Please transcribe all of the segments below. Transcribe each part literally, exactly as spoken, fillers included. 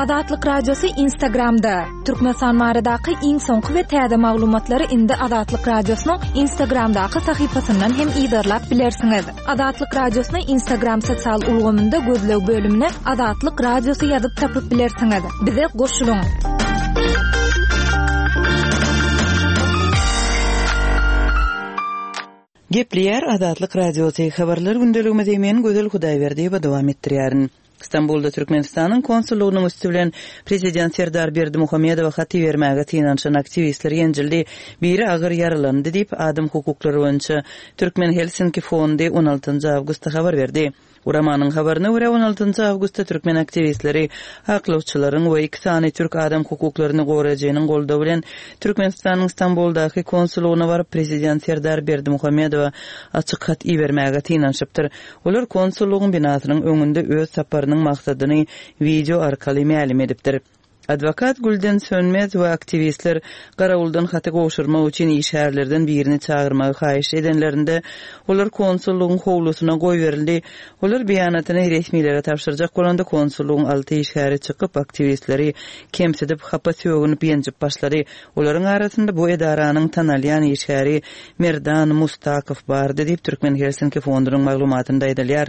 Azatlyk Radiosy Instagramda. Türkmenistan baradaky iň soňky we täze maglumatlary indi Azatlyk Radiosynyň Instagramdaky sahypasyndan hem yzarlap bilersiňiz. Azatlyk Radiosyny Instagram sosial ulgamynda gözleg bölümine Azatlyk Radiosy ýazyp tapyp bilersiňiz. Bize goşulyň. Gepleýär Azatlyk Radiosy habarlar gündeligimizi men Gözel Hudaýberdiýewa dowam etdirýärin. Stambulda Türkmenistanyň konsullygynyň üsti bilen Prezident Serdar Berdimuhamedowa hat ibermäge synanyşan aktiwistler ýenjildi, biri agyr ýaralandy diýip, adam hukuklary boýunça Türkmen Helsinki fondy on altynjy awgustda habar berdi. Guramanyň habaryna görä, on altynjy awgustda türkmen aktiwistleri aklawçylaryň we iki sany türk adam hukuklaryny goraýjynyň goldawy bilen Türkmenistanyň Stambuldaky konsullygyna baryp, prezident Serdar Berdimuhamedowa açyk hat ibermäge synanyşypdyr. Olar konsullygyň binasynyň öňünde öz saparynyň maksadyny wideo arkaly mälim edipdir. Adwokat Gülden Sönmez we aktiwistler garawuldan haty gowşurmak üçin işgärlerden birini çagyrmagy haýyş edenlerinde, olar konsullygyň howlusyna goýberildi. Olar beýanatyny resmilere tabşyrjak bolanda, konsullygyň alty işgäri çykyp, aktiwistleri kemsidip, hapa sögünip, ýenjip başlady. Olaryň arasynda bu edaranyň tanalýan işgäri Merdan Mustakow bardy diýip, Türkmen Helsinki fondunyň maglumatynda aýdylýar.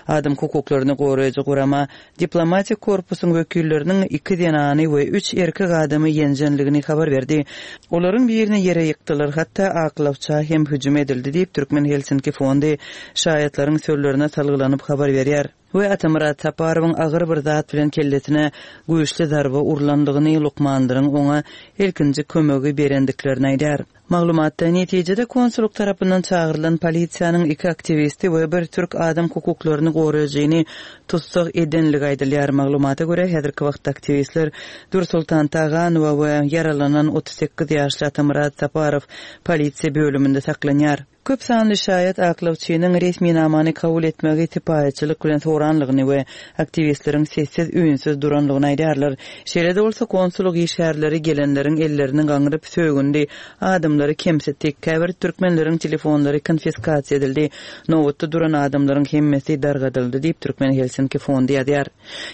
Adam hukuklaryny goraýjy gurama diplomatik korpusyň wekilleriniň iki zenany we üç erkek adamy ýenjenligini habar berdi. Olaryň birini ýere ýykdylar, hatda aklawça hem hüjüm edildi diýip, Türkmen Helsinki fondy şaýatlaryň sözlerine salgylanyp habar berýär. We Atamyrat Saparowyň agyr bir zat bilen kellesine güýçli zarba urlandygyny, lukmanlaryň oňa ilkinji kömegi berendiklerini aýdýar. Maglumatda, netijede konsullyk tarapyndan çagyrylan polisiýanyň iki aktiwisti we bir türk adam hukuklaryny goraýjyny tussag edenligi aýdylýar. Maglumata görä, häzirki wagtda aktiwistler Dürsoltan Taganowa we ýaralanan otuz sekiz ýaşly Atamyrat Saparow polisiýa bölüminde saklanýar. Köp sanly şaýat aklawçynyň resminamany kabul etmegi sypaýyçylyk bilen soranlygyny we aktiwistleriň sessiz-üýnsüz duranlygyny aýdýarlar. Şeýle-de bolsa, konsullyk işgärleri gelenleriň ellerini gaňryp sögündi, adamlary kemsitdi, käbir türkmenleriň telefonlary konfiskasiýa edildi, nobatda duran adamlaryň hemmesi dargadyldy diýip, Türkmen Helsinki fondy ýazýar.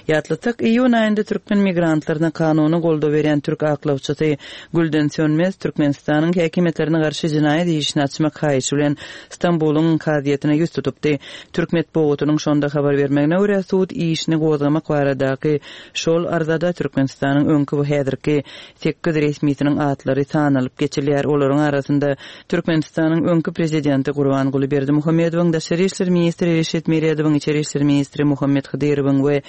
Ýatlatsak, iýun aýynda türkmen migrantlaryna kanuny goldaw berýän türk aklawçysy Gülden Sönmez Türkmenistanyň häkimiýetlerine garşy jenaýat işini açmak haýyşy bilen Stambulyň kazyýetine ýüz tutupdy. Türk metbugatynyň şonda habar bermegine görä, sud işini gozgamak baradaky şol arzada Türkmenistanyň öňki we häzirki sekiz resmisiniň atlary sanalyp geçilýär. Olaryň arasynda Türkmenistanyň öňki prezidenti Gurbanguly Berdimuhamedowyň, daşary işler ministri Reşit Meredowyň, içeri işler ministri Muhammet Hydyrowyň we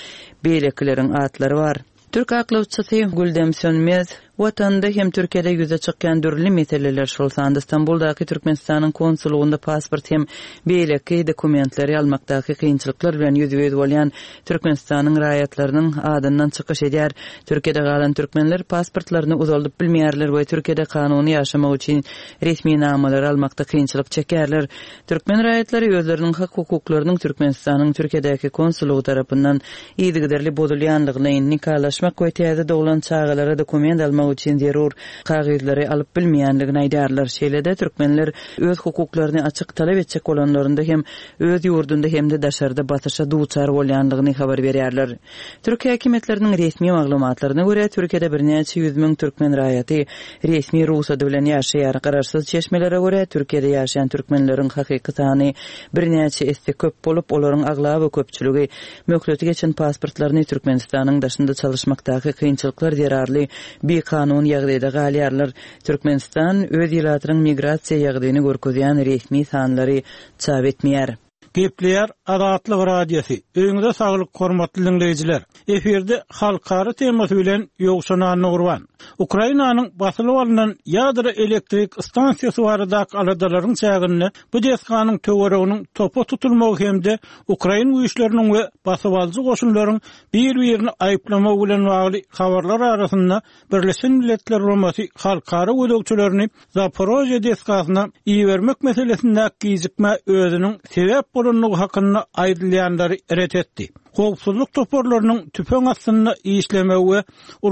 beýlekileriň atlary bar. Türk aklawçysy Güldem Sönmez Watanda hem Türkiýede ýüze çykýan dürli meseleler, şol sanda Stambuldaky Türkmenistanyň konsullygynda pasport hem beýleki dokumentleri almakdaky kynçylyklar bilen ýüzbe-ýüz bolýan Türkmenistanyň raýatlarynyň adyndan çykyş edýär. Türkiýede galan türkmenler pasportlaryny uzaldyp bilmeýärler we Türkiýede kanuny ýaşamak üçin resminamalary almakda kynçylyk çekýärler. Türkmen raýatlary özleriniň hak-hukuklarynyň Türkmenistanyň Türkiýedäki konsullygy tarapyndan yzygiderli bozulýanlygyny, nikalaşmak we täze doglan çagalara dokument almak üçin zerur kagyzlary alyp bilmeýänligini aýdýarlar. Şeýle-de türkmenler öz hukuklaryny açyk talap etjek bolanlarynda hem öz ýurdunda hem-de daşarda basyşa duçar bolýanlygyny habar berýärler. Türk häkimiýetleriniň resmi maglumatlaryna görä, Türkiýede birnäçe ýüz müň türkmen raýaty resmi rugsady bilen ýaşaýar. Garaşsyz çeşmelere görä, Türkiýede ýaşaýan türkmenleriň hakyky sany birnäçe esse köp bolup, olaryň aglaba köpçüligi möhleti geçen pasportlaryny Türkmenistanyň daşynda çalyşmakdaky kynçylyklar zerarly bikanun ýagdaýda galýarlar. Türkmenistan öz ilatynyň migrasiýa ýagdaýyny görkezýän resmi sanlary çap etmeýär. Gepleýär Azatlyk Radiosy. Öýüňize saglyk, hormatly diňleýjiler. Efirde halkara temasy bilen Ýowşan Annagurban. Ukrainanyň basylyp alnan ýadro elektrik stansiýasy baradaky aladalaryň çäginde bu desganyň töwereginiň topa tutulmagy hem-de ukrain güýçleriniň we basybalyjy goşunlaryň bir-birini aýyplamagy bilen bagly habarlar arasynda Birleşen Milletler Guramasy halkara gözegçilerini Zaporožýe desgasyna ibermek meselesindäki gijikmä özüniň sebäp bolandygy hakynda aýdylýanlary ret etdi. Howpsuzlyk toparlarynyň tüpeň astynda işlemegi we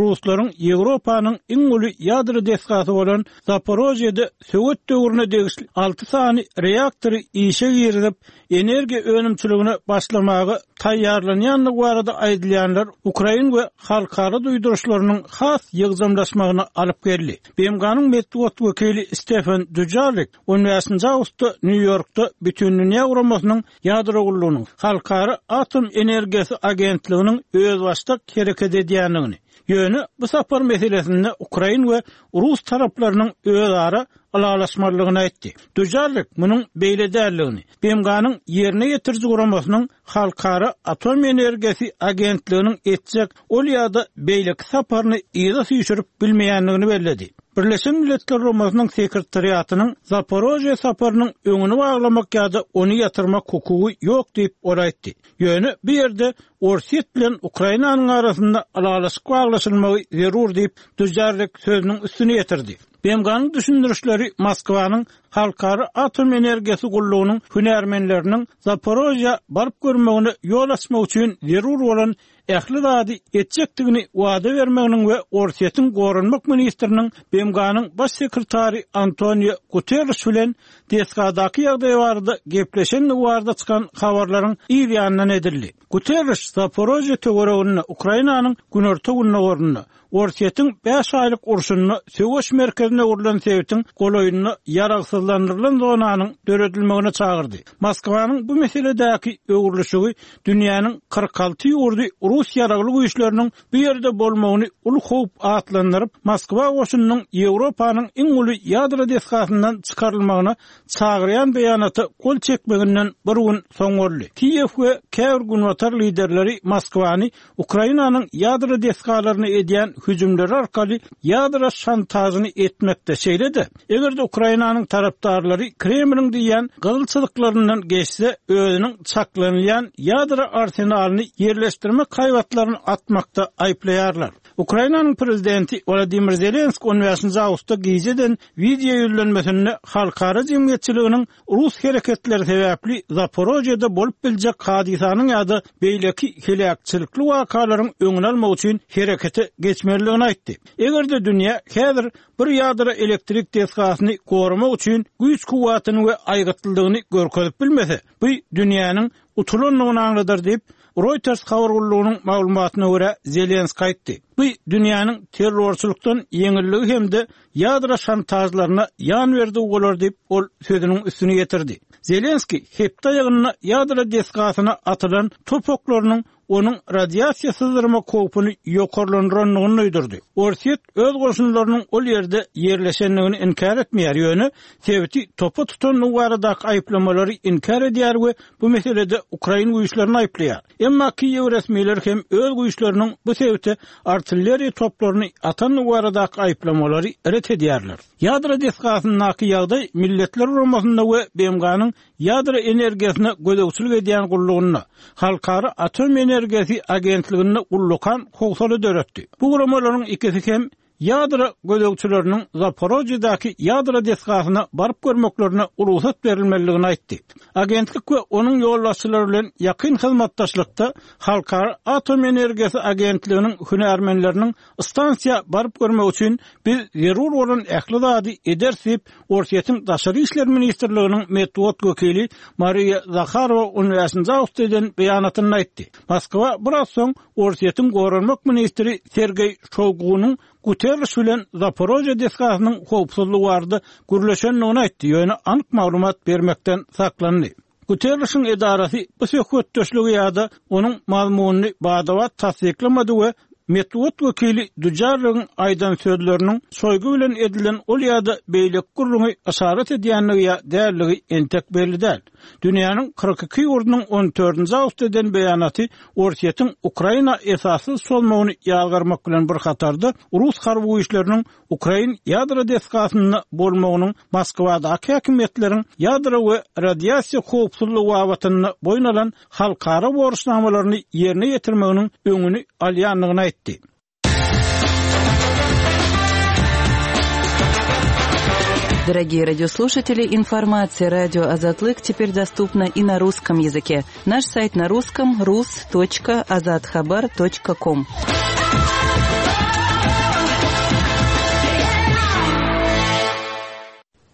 ruslaryň Ýewropanyň iň uly ýadro desgasy bolan Zaporožýede sowet döwrüne degişli alty sany reaktory işe girizip, energiýa önümçiligine başlamaga taýýarlanýandygy barada aýdylýanlar Ukrain we halkara duýduryşlarynyň has ýygjamlaşmagyna alyp geldi. B M G-nyň metbugat wekili Stefan Dujarrik on bäşinji awgustda Nýu-Ýorkda Bütindünýä Guramasynyň ýadro gullugynyň Halkara Atom Energiýasy Agentliginiň özbaşdak hereket edýändigini, ýöne bu sapar meselesinde Ukrain we Rus taraplarynyň özara ylalaşmalydygyny aýtdy. Dujarrik munuň beýle däldigini, B M G-nyň ýerine ýetiriji guramasynyň Halkara Atom Energiýasy Agentliginiň etjek ol ýa-da beýleki saparyny yza süýşürip bilmeýändigini belledi. Birleşen Milletler Guramasynyň sekretariatynyň Zaporožýe saparynyň öňüni baglamak ýa-da ony ýatyrmak hukugy ýok diýip ol aýtdy. Ýöne bu ýerde Orsýet bilen Ukrainanyň arasynda ylalaşyk baglaşylmagy zerur diýip Dujarrik sözüniň üstüne ýetirdi. B M G-nyň düşündirişleri Moskwanyň Halkara Atom Energiýasy gullugynyň hünärmenleriniň Zaporožýe baryp görmegine ýol açmak üçin zerur bolan ähli zady etjekdigini wada bermeginiň we Orsýetiň goranmak ministriniň B M G-nyň baş sekretary Antonio Guterres bilen desgadaky ýagdaý barada gepleşendigi barada çykan habarlaryň yz ýanyndan edildi. Guterres Zaporožýe töwereginde, Ukrainanyň günorta gündogarynda Orsýetiň bäş aýlyk urşunda söweş merkezine öwrülen sebitiň golaýynda ýaragsyzlandyrylan zonanyň döredilmegine çagyrdy. Moskwanyň bu meseledäki öwrülişigi dünýäniň kyrk alty ýurdy Rus ýaragly güýçleriniň bu ýerde bolmagyny uly howp atlandyryp, Moskwa goşunynyň Ýewropanyň iň uly ýadro desgasyndan çykarylmagyna çagyrýan beýanata gol çekmeginden bir gün soň boldy. Kiýew we käbir günbatar liderleri Moskwany Ukrainanyň ýadro desgalaryna edýän hüjümleri arkaly ýadro şantažyny etmekde, şeýle-de eger-de Ukrainanyň tarapdarlary Kremliň diýýän gyzyl çyzyklaryndan geçse, özüniň çaklanylýan ýadro arsenalyny ýerleşdirmek haýbatlaryny atmakda aýyplaýarlar. Ukrainanyň prezidenti Wladimir Zelenski on bäşinji awgustda gijeden wideo ýüzlenmesinde halkara jemgyýetçiliginiň Rus hereketleri sebäpli Zaporožýede bolup biljek hadysanyň ýa-da beýleki heläkçilikli wakalaryň öňüni almak üçin herekete geçmelidigini aýtdy. Eger-de dünýä häzir bir ýadro elektrik desgasyny goramak üçin güýç kuwwatyny we aýgytlylygyny görkezip bilmese, bu dünýäniň utulandygyny aňladar diýip, Reuters habar gullugynyň maglumatyna görä Zelenski aýtdy. Bu dünýäniň terrorçylykdan ýeňilligi hem-de ýadro şantajlaryna ýan berdi bolar diýip, ol sözüniň üstüne ýetirdi. Zelenski hepde aýagynda ýadro desgasyna atylan top oklarynyň onuň radiasiýa syzdyrmak howpuny ýokarlandyrandygyny duýdurdy. Orsýet öz goşunlarynyň ol ýerde ýerleşendigini inkär etmeýär, ýöne sebiti topa tutandygy baradaky aýyplamalary inkär edýär we bu meselede Ukrain güýçlerini aýyplaýar. Emma Kiýew resmileri hem öz güýçleriniň bu sebite artilleriýa toplaryny atandygy baradaky aýyplamalary ret edýärler. Ýadro desgasyndaky ýagdaý Milletler Guramasynda we B M G-nyň ýadro energiýasyna gözegçilik edýän gullugynda, Halkara Atom Energiýasy Agentliginde ullakan howsala döretdi. Bu guramalaryň ikisi hem ýadro gözegçileriniň Zaporožýedäki ýadro desgasyna baryp görmeklerine rugsat berilmelidigini aýtdy. Agentlik we onuň ýolbaşçylary bilen ýakyn hyzmatdaşlykda Halkara Atom Energiýasy Agentliginiň hünärmenleriniň stansiýa baryp görmek üçin biz zerur bolan ähli zady ederis diýip, Orsýetiň Daşary işler ministrliginiň metbugat wekili Mariýa Zaharowa on bäşinji awgustda eden beýanatynda aýtdy. Moskwa biraz soň Orsýetiň goranmak ministri Sergeý Şoýgunyň Guterres bilen Zaporožýe desgasynyň howpsuzlygy barada gürleşendigini aýtdy, ýöne anyk maglumat bermekden saklandy. Guterresiň edarasy bu söhbetdeşligi ýa-da onuň mazmunyny bada-bat tassyklamady we metbugat wekili Dujarrigiň aýdan sözleriniň Şoýgu bilen edilen ol ýa-da beýleki gürrüňi yşarat edýändigi ýa däldigi entek belli däl. Dünýäniň kyrk iki ýurdunyň on dördünji awgustda eden beýanaty Orsýetiň Ukraina esassyz çozmagyny ýazgarmak bilen bir hatarda Rus harby güýçleriniň Ukrain ýadro desgasynda bolmagynyň Moskwadaky häkimiýetleriň ýadro we radiasiýa howpsuzlygy babatynda boýun alan halkara borçnamalaryny ýerine ýetirmeginiň öňüni alýandygyny aýtdy. Дорогие радиослушатели, информация радио Азатлык теперь доступна и на русском языке. Наш сайт на русском rus точка azathabar точка com.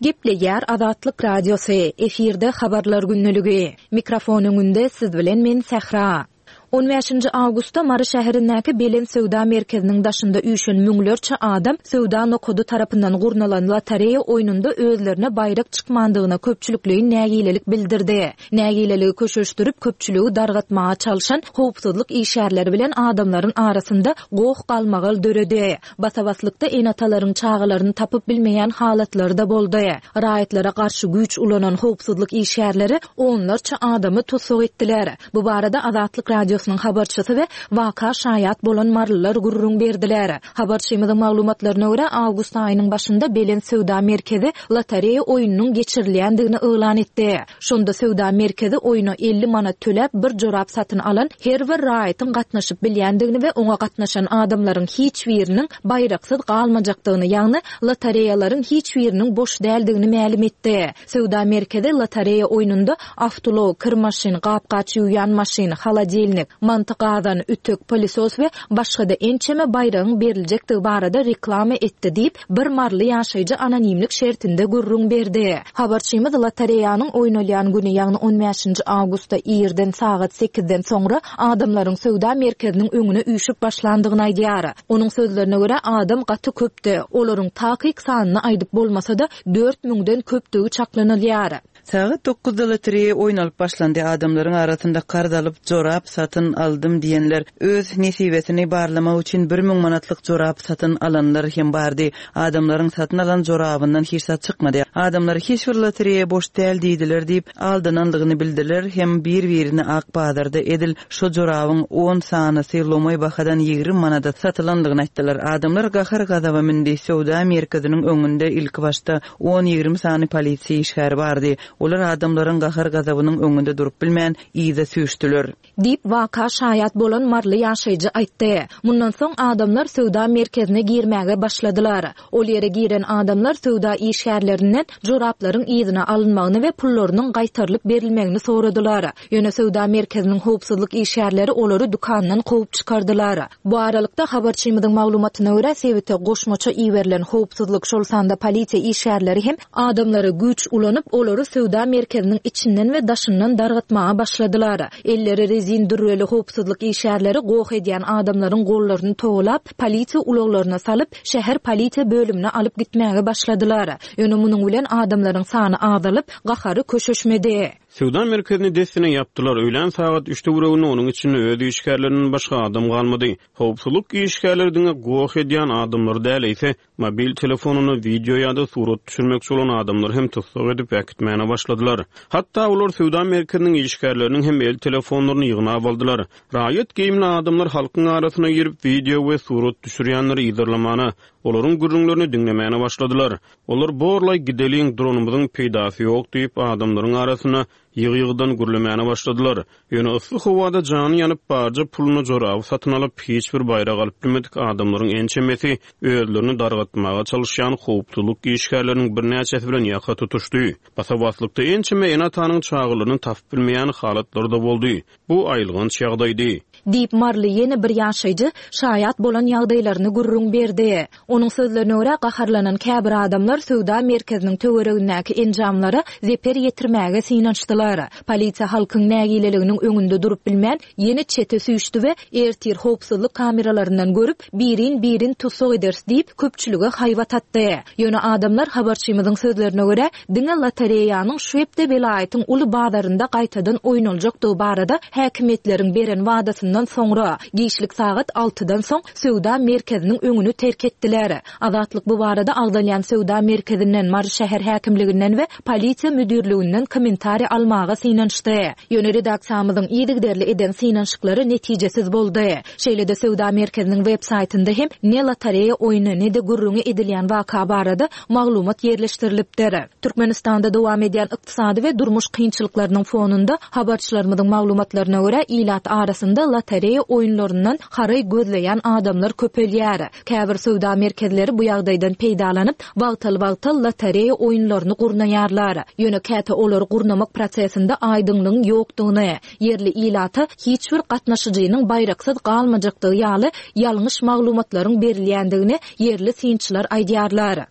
Gepleýär Azatlyk Radiosy, efirde habarlar günlügi. Mikrofon öňünde siz bilen men Sähra. On bäşinji awgustda Mary şäherindäki Belent söwda merkeziniň daşynda üýşen müňlerçe adam söwda nokady tarapyndan gurnalan lotereýa oýnunda özlerine baýrak çykmandygyna köpçülikleýin nägilelik bildirdi. Nägileligi köşeşdirip, köpçüligi dargatmaga çalşan howpsuzlyk işgärleri bilen adamlaryň arasynda goh-galmagal döredi. Basa-baslykda ene-atalaryň çagalaryny tapyp bilmeýän halatlary-da boldy. Raýatlara garşy güýç ulanan howpsuzlyk işgärleri onlarça adamy tussag etdiler. Bu barada Azatlyk Radiosynyň habarçysy we waka şaýat bolan marylylar gürrüň berdiler. Habarçymyzyň maglumatlaryna görä, awgust aýynyň başynda Belent söwda merkezi lotereýa oýnunyň geçirilýändigini yglan etdi. Şonda söwda merkezi oýna elli manat töläp bir jorap satyn alan her bir raýatyň gatnaşyp bilýändigini we oňa gatnaşan adamlaryň hiç biriniň baýraksyz galmajakdygyny, ýagny lotereýalaryň hiç biriniň boş däldigini mälim etdi. Söwda merkezi lotereýa oýnunda awtoulag, kir maşyn, gap-gaç ýuwýan maşyn, holodilnik, manty gazan, ütük, pylesos we başga-da ençeme baýragyň beriljekdigi barada reklama etdi diýip, bir maryly ýaşaýjy anonimlik şertinde gürrüň berdi. Habarçymyz lotereýanyň oýnalýan güni, ýagny on bäşinji awgustda irden sagat sekizden soňra adamlaryň söwda merkeziniň öňüne üýşüp başlandygyny aýdýar. Onuň sözlerine görä, adam gaty köpdi. Olaryň takyk sanyny aýdyp bolmasa-da, dört müňden köpdügi çaklanylýar. Sagat dokuzda lotereýa oýnalyp başlandy. Adamlaryň arasynda karz alyp, jorap satyn aldym diýenler, öz nesibesini barlamak üçin bir müň manatlyk jorap satyn alanlar hem bardy. Adamlaryň satyn alan jorabyndan hiç zat çykmady. Adamlar hiç bir lotereýa boş däl diýdiler diýip, aldanandygyny bildiler hem bir-birini ak bazarda edil şo jorabyň on sanysy lomaý bahadan ýigrimi manada satylandygyny aýtdylar. Adamlar gahar-gazaba mündi. Söwda merkeziniň öňünde ilki başda on-ýigrimi sany polisiýa işgäri bardy. Olar adamlaryň gahar-gazabynyň öňünde durup bilmän, yza süýşdüler. Diýip, waka şaýat bolan maryly ýaşaýjy aýtdy. Mundan soň adamlar söwda merkezine girmäge başladylar. Ol ýere giren adamlar söwda işgärlerinden joraplaryň yzyna alynmagyny we pullarynyň gaýtarylyp berilmegini soradylar. Ýöne söwda merkeziniň howpsuzlyk işgärleri olary dükandan kowup çykardylar. Bu aralykda habarçymyzyň maglumatyna görä, sebite goşmaça iberilen howpsuzlyk, şol sanda polisiýa işgärleri hem adamlara güýç ulanyp, olary söwda merkeziniň içinden we daşyndan dargatmaga başladylar. Elleri rezin dürreli howpsuzlyk işgärleri goh edýän adamlaryň gollaryny towlap, polisiýa ulaglaryna salyp, şäher polisiýa bölümine alyp gitmäge başladylar. Ýöne munuň bilen adamlaryň sany azalyp, gahary köşeşmedi. Söwda merkezini dessine ýapdylar. Öýlän sagat üç töwereginde onuň içinde öz işgärlerinden başga adam galmady. Howpsuzlyk işgärleri diňe goh edýän adamlary däl, eýse mobil telefonuna wideo ýa-da surat düşürmekçi bolan adamlary hem tussag edip äkitmäne başladylar. Hatda olar söwda merkeziniň işgärleriniň hem el telefonlaryny ýygnap aldylar. Raýat geýimli adamlar halkyň arasyna girip wideo we surat düşürýänleri yzarlamana, olaryň gürrüňlerini diňlemäne başladylar. Olar borlaý gideliň dronumyzyň peýdasy ýok diýip adamlaryň arasyna ýygy-ýygydan gürlemäne başladylar. Ýöne yssy howada jany ýanyp barja puluna joraby satyn alyp hiç bir baýrak alyp bilmedik adamlaryň ençemesi özlerini dargatmaga çalyşýan howpsuzlyk işgärleriniň birnäçesi bilen ýaka tutuşdy. Basa-baslykda ençeme ene-atanyň çagalaryny tapyp bilmeýän halatlary-da boldy. Bu aýylganç ýagdaýdy. Diýip maryly ýene bir ýaşaýjy şaýat bolan ýagdaýlaryny gürrüň berdi. Onuň sözlerine görä gaharlanan käbir adamlar söwda merkeziniň töweregindäki enjamlara zeper ýetirmäge synanyşdylar. Polisiýa halkyň nägileliginiň öňünde durup bilmän, ýene çete süýşdi we ertir howpsuzlyk kameralaryndan görüp, birin-birin tussag ederis diýip köpçülige haýbat atdy. Ýöne adamlar habarçymyzyň sözlerine görä, diňe lotereýanyň şu hepde welaýatyň uly bazarynda gaýtadan oýnaljakdygy barada häkimiýetleriň beren wadasyndan soňra giçlik sagat altydan soň söwda merkeziniň öňüni terk etdiler. Azatlyk bu barada agzalýan söwda merkezinden, Mary şäher häkimliginden we polisiýa müdirliginden kommentariý almaga synanyşdy. Ýöne redaksiýamyzyň yzygiderli eden synanyşyklary netijesiz boldy. Şeýle-de söwda merkeziniň web saýtynda hem ne lotereýa oýny, ne de gürrüňi edilýän waka barada maglumat ýerleşdirilipdir. Türkmenistanda dowam edýän ykdysady we durmuş kynçylyklarynyň fonunda habarçylarymyzyň maglumatlaryna görä ilat arasynda lotereýa oýunlaryndan haraý gözleýän adamlar köpelýär. Käbir söwda merkezleri bu ýagdaýdan peýdalanyp, wagtal-wagtal lotereýa oýunlaryny gurnaýarlar. Ýöne käte olary gurnamak prosesinde aýdyňlygyň ýokdugyny, ýerli ilata hiç bir gatnaşyjynyň baýraksyz galmajakdygy ýaly ýalňyş maglumatlaryň berilýändigini ýerli synçylar aýdýarlar.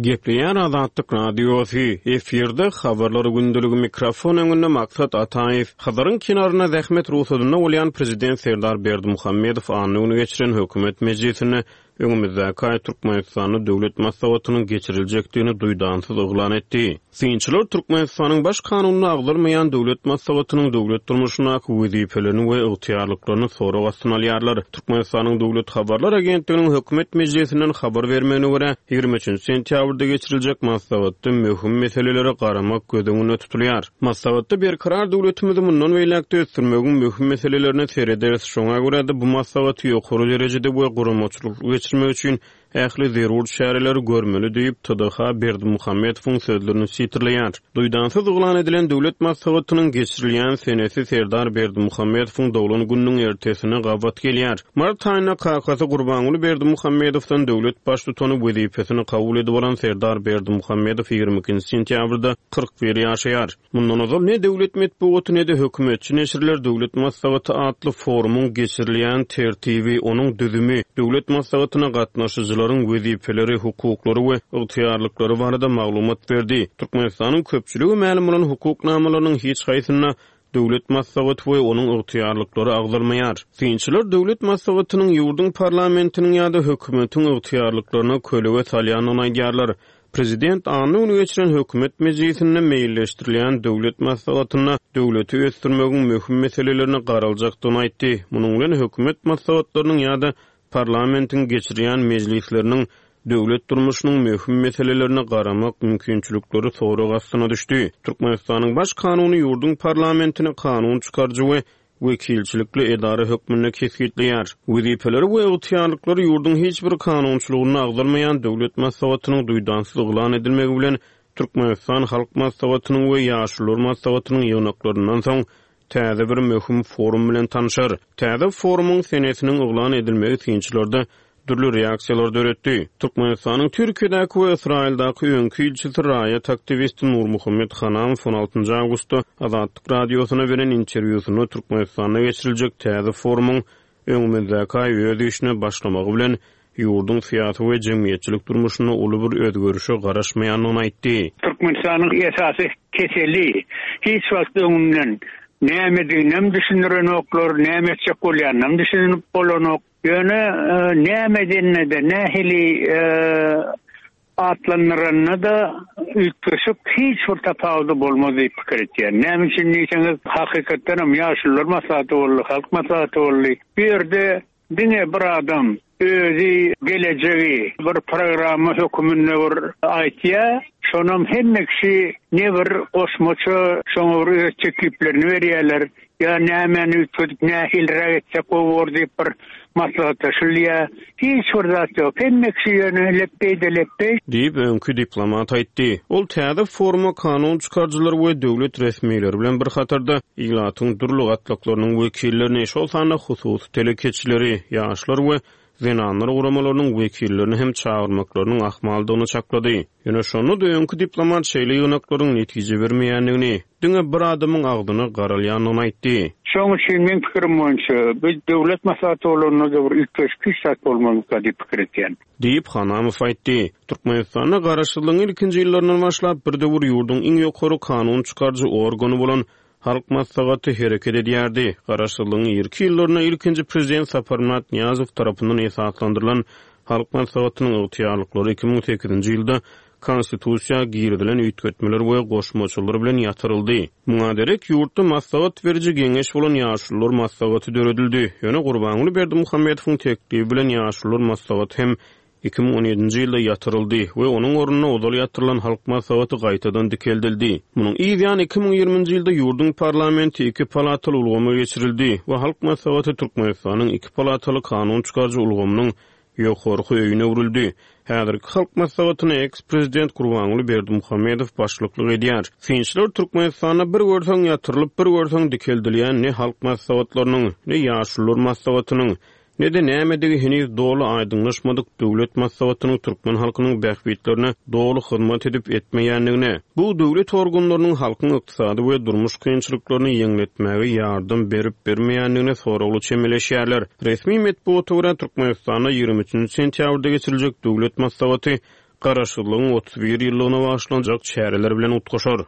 Gepleýär Azatlyk Radiosy, efirde Habarlar gündeligi mikrofon öňünde Maksat Ataýew. Hazaryň kenarynda zähmet rugsadynda bolýan Prezident Serdar Berdimuhamedow anna güni geçiren hökümet mejlisinde öňümizdäki aý Türkmenistanda Döwlet maslahatynyň geçiriljekdigini duýdansyz yglan etdi. Synçylar Türkmenistanyň Baş kanunynda agzalmaýan Döwlet maslahatynyň döwlet durmuşyndaky wezipelerini we ygtyýarlyklaryny sorag astyna alýarlar. Türkmenistanyň Döwlet habarlar agentliginiň hökümet mejlisinden habar bermegine görä, ýigrimi üçünji sentýabrda geçiriljek maslahatda möhüm meselelere garamak göz öňünde tutulýar. Maslahatda berkarar döwletimizi mundan beýläk-de ösdürmegiň möhüm meselelerine serederis, şoňa görä-de bu maslahaty ýokary derejede we guramaçylykly geçirmek üçin ähli zerur çäreleri görmeli diýip, T D H Berdimuhamedowyň sözlerini sitirleýär. Duýdansyz yglan edilen Döwlet maslahatynyň geçirilýän senesi Serdar Berdimuhamedowyň doglan gününiň ertesine gabat gelýär. Mart aýynda kakasy Gurbanguly Berdimuhamedowdan döwlet baştutany wezipesini kabul edip alan Serdar Berdimuhamedow ýigrimi ikinji sentýabrda kyrk bir ýaşaýar. Mundan ozal ne döwlet metbugaty ne-de hökümetçi neşirler Döwlet maslahaty atly forumyň geçirilýän tertibi, onuň düzümi, Döwlet maslahatyna gatnaşyjylaryň wezipeleri, hukuklary we ygtyýarlyklary barada maglumat berdi. Türkmenistanyň köpçüligi mälim bolan hukuk namalarynyň hiç haýsynda Döwlet maslahaty we onuň ygtyýarlyklary agzalmaýar. Synçylar Döwlet maslahatynyň ýurduň parlamentiniň ýa-da hökümetiň ygtyýarlyklaryna kölege salýandygyny aýdýarlar. Prezident anna güni geçiren hökümet mejlisinde meýilleşdirilýän Döwlet maslahatynda döwleti ösdürmegiň möhüm meselelerine garaljakdygyny aýtdy. Munuň bilen hökümet maslahatlarynyň ýa-da parlamentiň geçirýän mejlisleriniň döwlet durmuşynyň möhüm meselelerine garamak mümkinçilikleri sorag astyna düşdi. Türkmenistanyň Baş kanuny ýurduň parlamentini kanun çykaryjy we wekilçilikli edara hökmünde kesgitleýär. Wezipeleri we ygtyýarlyklary ýurduň hiç bir kanunçylygynda agzalmaýan Döwlet maslahatynyň duýdansyz yglan edilmegi bilen Türkmenistan Halk Maslahatynyň we Ýaşulular maslahatynyň ýygnaklaryndan soň täze bir möhüm forum bilen tanşar. Täze forumyň senesiniň yglan edilmegi synçylarda dürli reaksiýalar döretdi. Türkmenistanyň Türkiýedäki we Ysraýyldaky öňki ilçisi raýat aktiwisti Nurmuhammet Hanamow on altynjy awgustda Azatlyk Radiosyna beren interwýusynda Türkmenistanda geçiriljek täze forumyň öňümizdäki aý öz işine başlamagy bilen ýurduň syýasy we jemgyýetçilik durmuşynda uly bir özgerişe garaşmaýandygyny aýtdy. Türkmenistanyň esasy keseli hiç wagt öňünden nämediginem düşündirenoklar, näme etjek bolýanynam düşünip bolanok. Ýöne, e, näme edenine-de, nähili, e, atlandyranyna-da üýtgeşik hiç bir tapawudy bolmaz diýip pikir etýän. Näme üçin diýseňiz, hakykatdan hem ýaşulular maslahaty boldy, halk maslahaty boldy. Bu ýerde diňe bir adam özi gelejegi bir programma höküminde bir aýtýar. Şonam hemme kişi ne bir goşmaça şoňa bir öz tekliplerini berýärler. Ýa nämäni üýtgedip nähiliräk etsek gowy bor diýip bir maslahatlaşylýar. Hiç bir zat ýok. Hemme kişi ýöne lepbeý-de lepbeý. Diýip öňki diplomat aýtdy. Ol täze foruma kanun çykaryjylar we döwlet resmileri bilen bir hatarda ilatyň dürli gatlaklarynyň wekillerini, şol sanda hususy telekeçileri, ýaşlar we zenanlar guramalarynyň wekillerini hem çagyrmaklarynyň ahmaldygyny çaklady. Ýöne şonda-da öňki diplomat şeýle ýygnaklaryň netije bermeýändigini, diňe bir adamyň agzyna garalýandygyny aýtdy. Şonuň üçin men pikirim boýunça bu döwlet maslahaty bolanda da bir üýtgeşik hiç zat bolmazmyka diýip pikir etýän. Diýip Hanamow aýtdy. Türkmenistanda garaşsyzlygyň ilkinji ýyllaryndan başlap bir döwür ýurduň iň ýokary kanun çykaryjy organy bolan Halk Maslahaty hereket edýärdi. Garaşsyzlygyň irki ýyllarynda ilkinji prezident Saparmyrat Nyýazow tarapyndan esaslandyrylan Halk Maslahatynyň ygtyýarlyklary iki müň sekizinji ýylda konstitusiýa girizilen üýtgetmeler we goşmaçalar bilen ýatyryldy. Muňa derek ýurtda maslahat beriji geňeş bolan Ýaşulular maslahaty döredildi. Ýöne Gurbanguly Berdimuhamedowyň teklibi bilen Ýaşulular maslahaty hem iki müň on ýedinji ýylda ýatyryldy we onuň ornuna ozal ýatyrylan Halk Maslahaty gaýtadan dikeldildi. Munuň yz ýany iki müň ýigriminji ýylda ýurduň parlamenti iki palataly ulgama geçirildi we Halk Maslahaty Türkmenistanyň iki palataly kanun çykaryjy ulgamynyň ýokarky öýüne öwrüldi. Häzirki Halk Maslahatyna eks-prezident Gurbanguly Berdimuhamedow başlyklyk edýär. Synçylar Türkmenistanda bir görseň ýatyrylyp, bir görseň dikeldilýän ne Halk Maslahatlarynyň, ne Ýaşulular Maslahatynyň, ne de nämedigi heniz doly aýdyňlaşmadyk döwlet maslahatynyň türkmen halkynyň bähbitlerine doly hyzmat edip etmeýändigine, bu döwlet organlarynyň halkyň ykdysady we durmuş kynçylyklaryny ýeňletmäge ýardam berip bermeýändigine soragly çemeleşýärler. Resmi metbugata görä Türkmenistanda ýigrimi üçünji sentýabrda geçiriljek döwlet maslahaty Garaşsyzlygyň otuz bir ýyllygyna bagyşlanjak çäreler bilen utgaşar.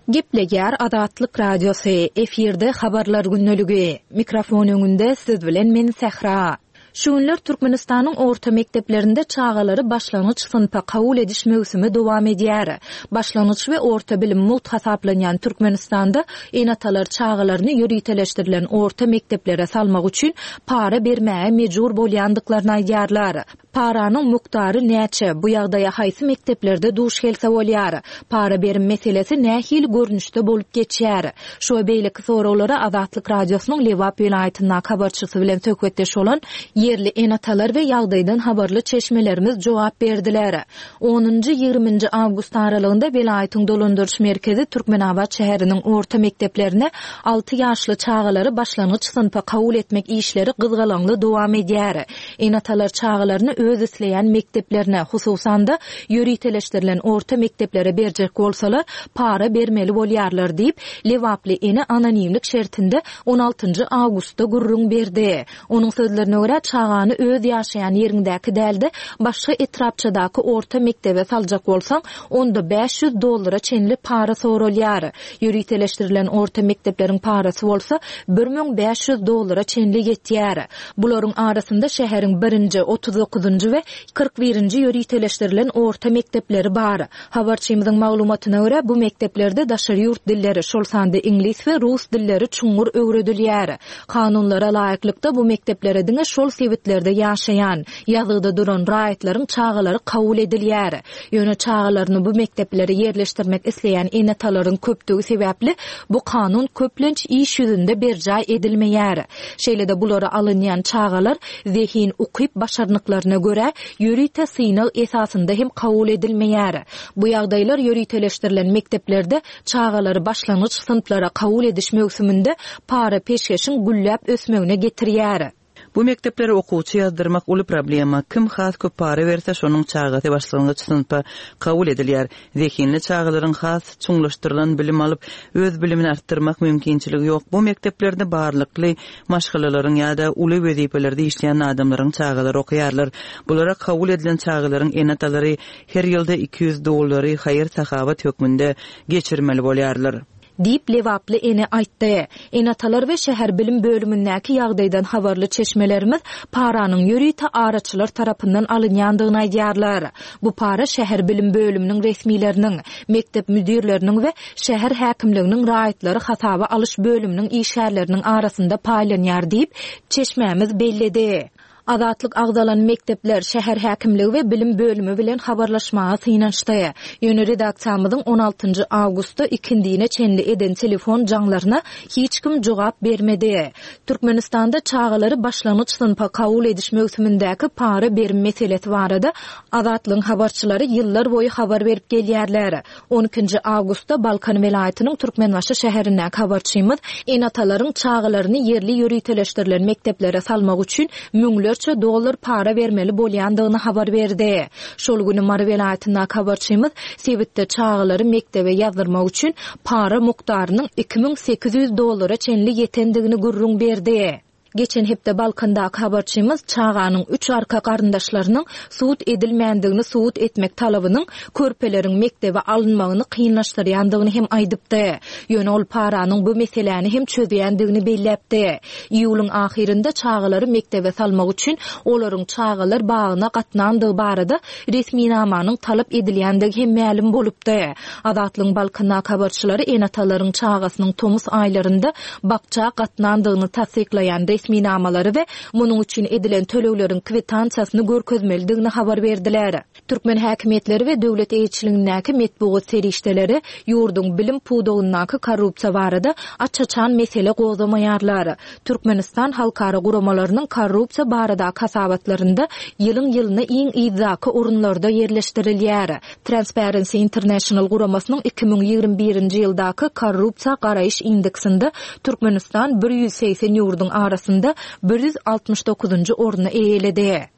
Gepleýär Azatlyk Radiosy, efirde habarlar gündeligi. Mikrofon öňünde siz bilen men Sähra. Şu günler Türkmenistanyň orta mekdeplerinde çagalary başlangyç synpa kabul ediş möwsümi dowam edýär. Başlangyç we orta bilim mugt hasaplanýan Türkmenistanda ene-atalar çagalaryny ýöriteleşdirilen orta mekdeplere salmak üçin para bermäge mejbur bolýandyklaryny aýdýarlar. Paranyň mukdary näçe, bu ýagdaýa haýsy mekdeplerde duş gelse bolýar? Para berim meselesi nähili görnüşde bolup geçýär? Şu we beýleki soraglara Azatlyk Radiosynyň Lebap welaýatyndaky habarçysy bilen söhbetdeş bolan ýerli ene-atalar we ýagdaýdan habarly çeşmelerimiz jogap berdiler. Onunjy, ýigriminji awgust aralygynda welaýatyň dolandyryş merkezi Türkmenabat şäheriniň orta mekdeplerine alty ýaşly çagalary başlangyç synpa kabul etmek işleri gyzgalaňly dowam edýär. Ene-atalar çagalaryny öz isleýän mekdeplerine, hususan-da ýöriteleşdirilen orta mekdeplere berjek bolsalar, para bermeli bolýarlar diýip, Lebaply ene anonimlik şertinde on altynjy awgustda gürrüň berdi. Onuň sözlerine görä, çagany öz ýaşaýan ýeriňdäki dälde başga etrapçadaky orta mekdebe saljak bolsaň, onda bäş ýüz dollara çenli para soralýar. Ýöriteleşdirilen orta mekdepleriň parasy bolsa bir müň bäş ýüz dollara çenli ýetýär. Bularyň arasynda şäheriň birinji, otuz dokuzynjy we kyrk birinji ýöriteleşdirilen orta mekdepleri bar. Habarçymyzyň maglumatyna görä, bu mekdeplerde daşary ýurt dilleri, şol sanda iňlis we rus dilleri çuňňur öwredilýär. Kanunlara laýyklykda bu mekdeplere diňe şol sebitlerde ýaşaýan, ýazgyda duran raýatlaryň çagalary kabul edilýär. Ýöne çagalaryny bu mekdeplere ýerleşdirmek isleýän ene-atalaryň köpdügi sebäpli bu kanun köplenç iş ýüzünde berjaý edilmeýär. Şeýle-de bulara alynýan çagalar zehin ukyp başarnyklaryna görä ýörite synag esasynda hem kabul edilmeýär. Bu ýagdaýlar ýöriteleşdirilen mekdeplerde çagalary başlangyç synplara kabul ediş möwsüminde para peşgeşiň gülläp ösmegine getirýär. Bu mekdeplere okuwçy ýazdyrmak uly problema. Kim has köp para berse, şonuň çagasy başlangyç synpa kabul edilýär. Zehinli çagalaryň has çuňlaşdyrylan bilim alyp, öz bilimini artdyrmak mümkinçiligi ýok. Bu mekdeplerde barlykly maşgalalaryň ýa-da uly wezipelerde işleýän adamlaryň çagalary okaýarlar. Bulara kabul edilen çagalaryň ene-atalary her ýylda iki ýüz dollary haýyr-sahawat hökmünde geçirmeli bolýarlar. Diýip Lebaply ene aýtdy. Ene-atalar we şäher bilim bölümindäki ýagdaýdan habarly çeşmelerimiz paranyň ýörite araçylar tarapyndan alynýandygyny aýdýarlar. Bu para şäher bilim bölüminiň resmileriniň, mekdep müdirleriniň we şäher häkimliginiň raýatlary hasaba alyş bölüminiň işgärleriniň arasynda paýlanýar diýip çeşmämiz belledi. Azatlyk agzalan mekdepler, şäher häkimligi we bilim bölümi bilen habarlaşmaga synanyşdy. Ýöne redaksiýamyzyň on altynjy awgustda ikindine çenli eden telefon jaňlaryna hiç kim jogap bermedi. Türkmenistanda çagalary başlangyç synpa kabul ediş möwsümindäki para berim meselesi barada Azatlygyň habarçylary ýyllar boýy habar berip gelýärler. on ikinji awgustda Balkan welaýatynyň Türkmenbaşy şäherindäki habarçymyz ene-atalaryň çagalaryny ýerli ýöriteleşdirilen mekdeplere salmak üçin müňlerçe dollar para bermeli bolýandygyny habar berdi. Şol güni Mary welaýatyndaky habarçymyz sebitde çagalary mekdebe ýazdyrmak üçin para mukdarynyň iki müň sekiz ýüz dollara çenli ýetendigini gürrüň berdi. Geçen hepde Balkandaky habarçymyz çaganyň üç arka garyndaşlarynyň sud edilmändigini subut etmek talabynyň körpeleriň mekdebe alynmagyny kynlaşdyrýandygyny hem aýdypdy. Ýöne ol paranyň bu meseläni hem çözýändigini belläpdi. Iýulyň ahyrynda çagalary mekdebe salmak üçin olaryň çagalar bagyna gatnandygy barada resminamanyň talap edilýändigi hem mälim bolupdy. Azatlygyň Balkandaky habarçylary ene-atalaryň çagasynyň tomus aýlarynda bakça gatnandygyny tassyklaýan resminamalary we munuň üçin edilen tölegleriň kwitansiýasyny görkezmelidigini habar berdiler. Türkmen häkimiýetleri we döwlet eýeçiligindäki metbugat serişdeleri ýurduň bilim pudagyndaky korrupsiýa barada aç-açan mesele gozamaýarlar. Türkmenistan halkara guramalarynyň korrupsiýa baradaky hasabatlarynda ýylyň-ýylyna iň yzdaky orunlarda ýerleşdirilýär. Transparency International guramasynyň iki müň ýigrimi birinji ýyldaky korrupsiýa garaýyş indeksinde Türkmenistan bir ýüz segsen ýurduň arasynda bir ýüz altmyş dokuzynjy orny eýeledi.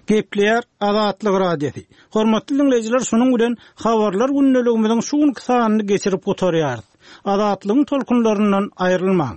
Gepleýär Azatlyk Radiosy. Hormatly dinleýjiler, şunuň bilen habarlar gündeligimiziň şu günki sanyny geçirip gutarýarys. Azatlygyň tolkunlaryndan aýrylmaň.